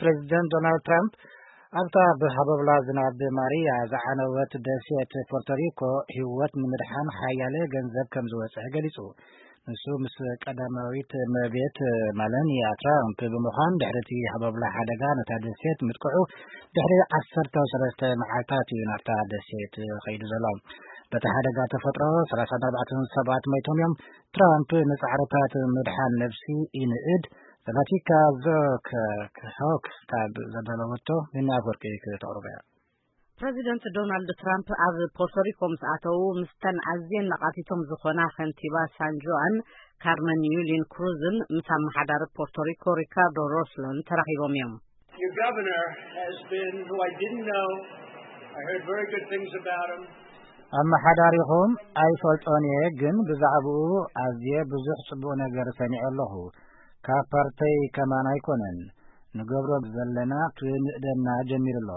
ፕሬዚደንት ዶናልድ ትራምፕ ኣብታ ብሃበብላ ዝናብ ማሪያ ዝዓነወት ደሴት ፖርቶሪኮ ህይወት ንምድሓን ሓያለ ገንዘብ ከም ዝወፅዐ ገሊፁ። ንሱ ምስ ቀዳማዊት እመቤት ማለኒያ ትራምፕ ብምዃን ድሕሪ እቲ ሃበብላ ሓደጋ ነታ ደሴት ምጥቅዑ ድሕሪ ዓሰርተ ሰለስተ መዓልታት እዩ ናብታ ደሴት ከይዱ ዘሎ። በቲ ሓደጋ ተፈጥሮ ሰላሳን ኣርባዕተን ሰባት ሞይቶም እዮም። ትራምፕ ንጻዕርታት ምድሓን ነብሲ ይንእድ። ዘላቲካ ዞክ ሆክ ካብ ዘዳለወቶ ኒና ኣፈወርቂ ክተቕርቦ እያ። ፕረዚደንት ዶናልድ ትራምፕ ኣብ ፖርቶሪኮ ምስ ኣተዉ፣ ምስተን ኣዝየን ነቓፊቶም ዝኾና ከንቲባ ሳን ጁኣን ካርመን ዩሊን ክሩዝን ምስ ኣመሓዳሪ ፖርቶሪኮ ሪካርዶ ሮስሎን ተራኺቦም እዮም። Your governor has been, who I didn't know. I heard very good things about him. ኣመሓዳሪኹም ኣይፈልጦን እየ፣ ግን ብዛዕባኡ ኣዝየ ብዙሕ ጽቡቕ ነገር ሰሚዐ ኣለኹ። ካብ ፓርተይ ከማን ኣይኮነን። ንገብሮ ዘለና ክንእደና ጀሚሩ ኣሎ።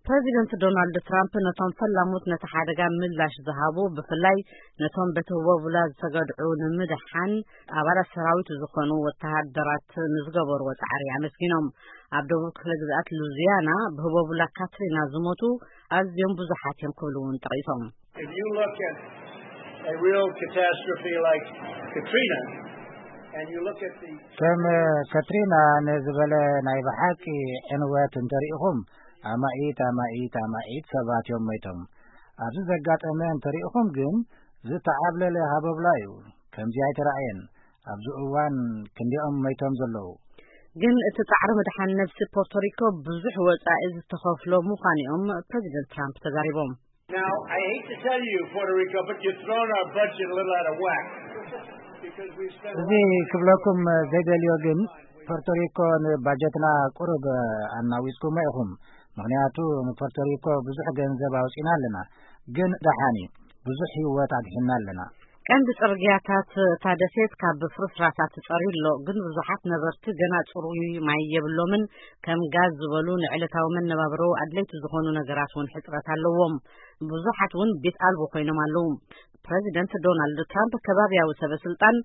ፕረዚደንት ዶናልድ ትራምፕ ነቶም ፈላሙት ነቲ ሓደጋ ምላሽ ዝሃቡ፣ ብፍላይ ነቶም በቲ ህቦብላ ዝተገድዑ ንምድሓን ኣባላት ሰራዊት ዝኾኑ ወተሃደራት ንዝገበርዎ ጻዕሪ ኣመስጊኖም። ኣብ ደቡብ ክፍለ ግዝኣት ሉዚያና ብህቦብላ ካትሪና ዝሞቱ ኣዝዮም ብዙሓት እዮም ክብሉ እውን ጠቒሶም። If you look at a real catastrophe like Katrina, and you look at the ከም ከትሪና ንዝበለ ናይ ብሓቂ ዕንወት እንተሪኢኹም፣ ኣማኢት ኣማኢት ኣማኢት ሰባት እዮም ሞይቶም። ኣብዚ ዘጋጠመ እንተሪኢኹም ግን ዝተዓብለለ ሃበብላ እዩ። ከምዚ ኣይተራእየን። ኣብዚ እዋን ክንዲኦም ሞይቶም ዘለዉ። ግን እቲ ጻዕሪ ምድሓን ነብሲ ፖርቶሪኮ ብዙሕ ወጻኢ ዝተኸፍሎ ምዃኑ እዮም ፕረዚደንት ትራምፕ ተዛሪቦም። Now, I hate to tell you, Puerto Rico, but you've thrown our budget a little out of whack. Because we've spent a እዚ lot of money. ክብለኩም ዘይደልዮ ግን ፖርቶሪኮ ንባጀትና ቁሩብ ኣናዊጽኩሞ ኢኹም። ምኽንያቱ ንፖርቶሪኮ ብዙሕ ገንዘብ ኣውጺና ኣለና፣ ግን ደሓን እዩ፣ ብዙሕ ህይወት ኣድሒና ኣለና። ቀንዲ ጽርግያታት እታ ደሴት ካብ ፍርስራሳት ተጸርዩ ኣሎ፣ ግን ብዙሓት ነበርቲ ገና ጽሩይ ማይ የብሎምን። ከም ጋዝ ዝበሉ ንዕለታዊ መነባብሮ ኣድለይቲ ዝኾኑ ነገራት እውን ሕጽረት ኣለዎም። ብዙሓት እውን ቤት ኣልቦ ኮይኖም ኣለዉ። ፕረዚደንት ዶናልድ ትራምፕ ከባብያዊ ሰበ ስልጣን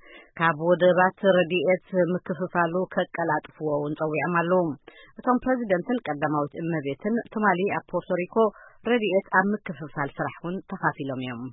ካብ ወደባት ረድኤት ምክፍፋሉ ከቀላጥፍዎ እውን ጸዊዖም ኣለዉ። እቶም ፕረዚደንትን ቀዳማዊት እመቤትን ትማሊ ኣብ ፖርቶሪኮ ረድኤት ኣብ ምክፍፋል ስራሕ እውን ተኻፊሎም እዮም።